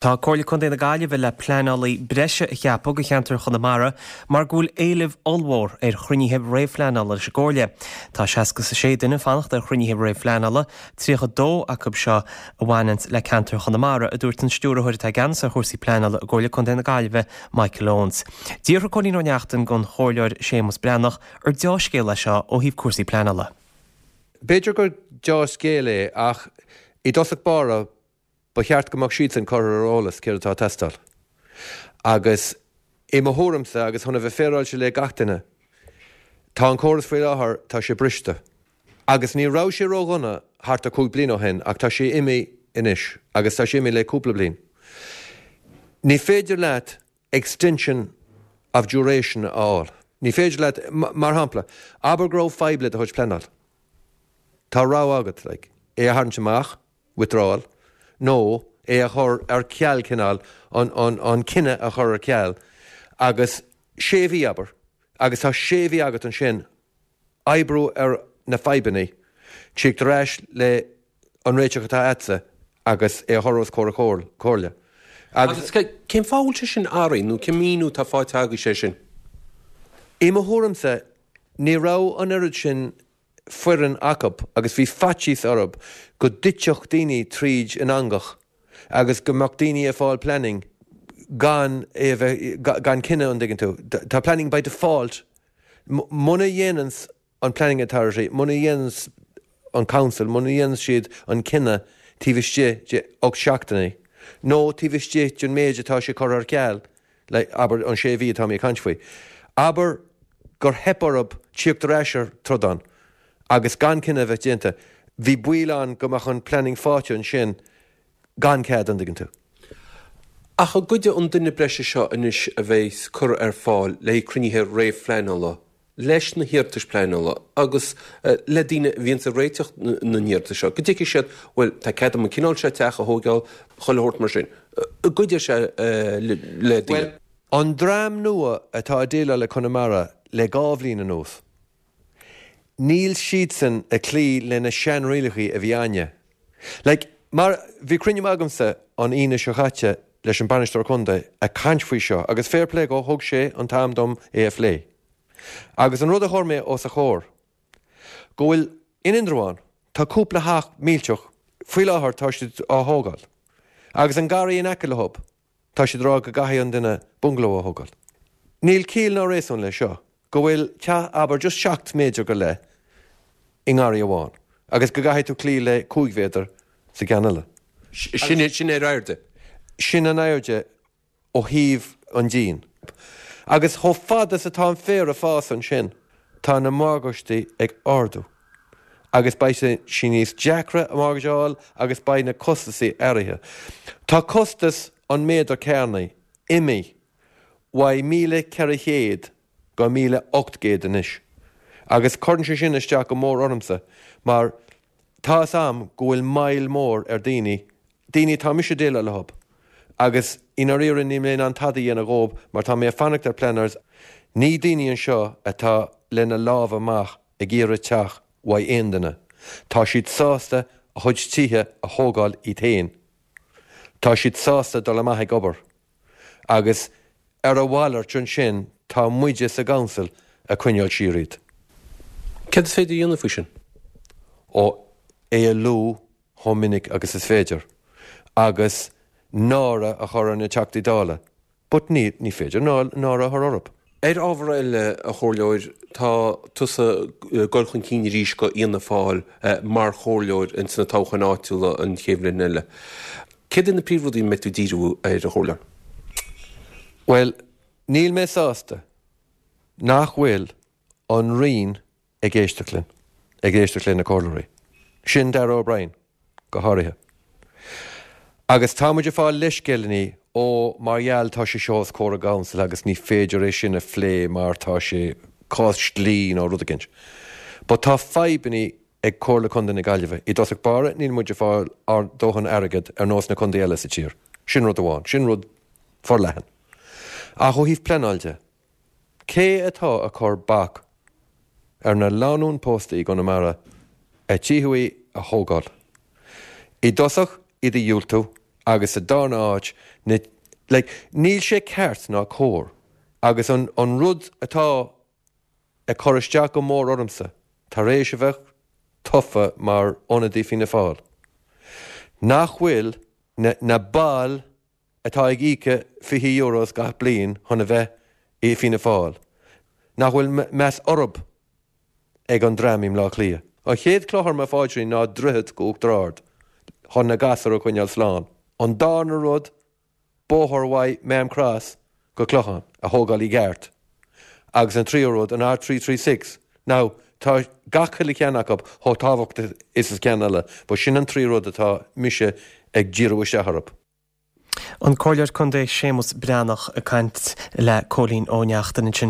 Tá Comhairle Contae na Gaillimhe le pleanálaí breise a cheapadh do cheantar Chonamara mar go bhfuil éileamh ollmhór ar chruinnithe réamhphleanála leis an gComhairle. Tá 66 duine ag fanacht ar chruinnithe réamhphleanála, 32 acu seo a bhaineanns le ceantar Chonamara, a dúirt an Stiúrthóir atá i gceannas ar chúrsaí pleanála i gComhairle Contae na Gaillimhe, Michael Owens. D'fhiafraigh Cóilín Ó Neachtain den Chomhairleoir Séamus Breathnach ar deá-scéal é seo ó thaobh cúrsaí pleanála. B'fhéidir gur deá-scéal é ach i dtosach báire Ba cheart go mbeadh siadsan curtha ar eolas céard atá ag teastáil. Agus i mo thuairimse, agus chun a bheith féaráilte le gach duine, tá an córas faoi láthair, tá sé briste. Agus ní raibh sé ródhona thart ar chúig bliana ó shin ach tá sé imithe anois agus tá sé imithe le cúpla bliain. Ní féidir leat extension of duration a fháil. Ní féidir leat, mar shampla, abair go raibh fadhb le do chuid pleanáil. Tá rogha agat, like, é a tharraingt amach, withdrawal, nó é a chur ar ceal cineál, an, an, an cinneadh a chur ar ceal agus sé mhí, abair, agus tá sé mhí agat ansin oibriú ar na fadhbanna, tíocht ar ais le an réiteach atá agatsa agus é a chur os comhair an Chomhairle. Agus cén fáth a bhfuil sé sin athraithe nó cén míniú atá faighte agaibhse air sin? I mo thuairimse, ní raibh an oiread sin foireann acu agus bhí faitíos orthu go dtitfeadh daoine tríd an eangach agus go mbeadh daoine ag fáil planning gan é a bheith, gan cinneadh, an dtuigeann tú. Tá planning by default. Muna dhéananns an Planning Authority, muna dhéananns an Council, muna dhéananns siad an cinneadh taobh istigh de 8 seachtainí nó taobh istigh den méid atá sé curtha ar ceal, like, abair an sé mhí atá mé ag caint faoi, abair gur theip orthu tíocht ar ais ar trodán agus gan cinneadh a bheith déanta, bhí baol ann go mbeadh an planning faighte ansin gan cead, an dtuigeann tú. Ach an gcuideoidh an duine breise seo anois a bheas curtha ar fáil le haghaidh cruinnithe réamhphleanála leis na hiarratais pleanála agus le daoine a bhíonns ag réiteach na n-iarratas seo, go dtuigfidh siad, bhuel, tá cead agam an cineál seo teach a thóigeáil, chuile shórt mar sin. An gcuideoidh sé le daoine? Bhuel, an dream nua atá ag déileáil le Conamara le dhá bhliain anuas, níl siadsan ag cloí le na seanrialachaí a bhí againne. Like, mar, bhí cruinniú agamsa an Aoine seo chaite leis an Bainisteoir Contae ag caint faoi seo agus fair play dhó, thug sé an t-am dom é a phlé. Agus an rud a chuir mé os a chomhair, go bhfuil, in Indreabhán, tá cúpla theach millteach, faoi láthair tá siad á thógáil, agus an garraí in aice leo, tá siad ag rá go gcaithfidh an duine bungalow a thógáil. Níl ciall ná réasún leis seo, go bhfuil teach abair just 7 méadar go leith i ngarraí amháin agus go gcaithfidh tú cloí le 5 mhéadar sa gceann eile. Sin, sin ar airde. Sin an airde ó thaobh an díon. Agus chomh fada is atá an féar ag fás ansin, tá na morgáistí ag ardú. Agus beidh sé níos deacra mortgage a fháil agus beidh na costasaí athraithe. Tá costas an méadar cearnaigh imithe uaidh 1,400 go 1,800 anois. Agus cuireann sé sin isteach go mór ormsa mar tá 'fhios a'm go bhfuil moill mór ar daoine, daoine atá mise ag déileáil leo agus i ndáiríre níl mé in ann tada a dhéanamh dhóib mar tá mé ag fanacht ar planners, ní daoine anseo atá lena lámha amach ag iarraidh teach uaidh aon duine, tá siad sásta a chuid tithe a thógáil iad féin, tá siad sásta dul amach ag obair. Agus ar a mhalairt ansin tá muide sa gcouncil ag coinneáil siar iad. Céard is féidir a dhéanamh faoi sin? Ó, é a lua chomh minic agus is féidir. Agus náire a chur ar na Teachtaí Dála. But ní, ní féidir náire a chur orthu. Ar ábhar eile, a Chomhairleoir, tá tusa ag dul chun cinn arís go Fhianna Fáil mar chomhairleoir ins na toghcháin áitiúla an chéad bhliain eile. Céard iad na príomhrudaí a mbeidh tú ag díriú air, a Chomhairleoir? Bhuel, níl mé sásta nach bhfuil an Roinn ag éisteacht linn, ag éisteacht le na comhairleoirí. Sin Darragh O'Brien, go háirithe. Agus tá muid ag fáil leithscéileanna, ó, mar gheall tá sé seo os comhair an gcouncil agus ní féidir é sin a phlé mar tá sé cás dlí nó rud eicínt. But tá fadhbanna ag Comhairle Contae na Gaillimhe. I dtosach báire, níl muid ag fáil ár dóthain airgead ar nós na contae eile sa tír. Sin rud amháin. Sin rud forleathan. Ach ó thaobh pleanáil de, Cé atá ag cur bac ar na lánúin pósta i gConamara a tithe a thógáil? I dtosach iad a dhiúltú agus sa darna áit Na, like, níl sé ceart ná cóir agus an, an rud atá ag cur isteach go mór ormsa tar éis a bheith tofa mar ionadaí Fianna Fáil, nach bhfuil na, na baill atá ag íoca 20 euros gach bliain chun a bheith i Fianna Fáil, nach bhfuil meas orthub ag an dream i mBleá Cliath. An chéad cloch ar mo phaidrín ná droichead go Uachtar Ard chun na gasúir a choinneáil slán. An darna rud, bóthar mhaith Maam Cross go Clochán a thógáil i gceart. Agus an tríú rud, an R336. Now, tá gach uile cheann acu chomh tábhachtach is an ceann eile, but sin an trí rud atá mise ag díriú isteach orthu. An Comhairleoir Contae Séamus Breathnach ag caint le Cóilín Ó Neachtain ansin.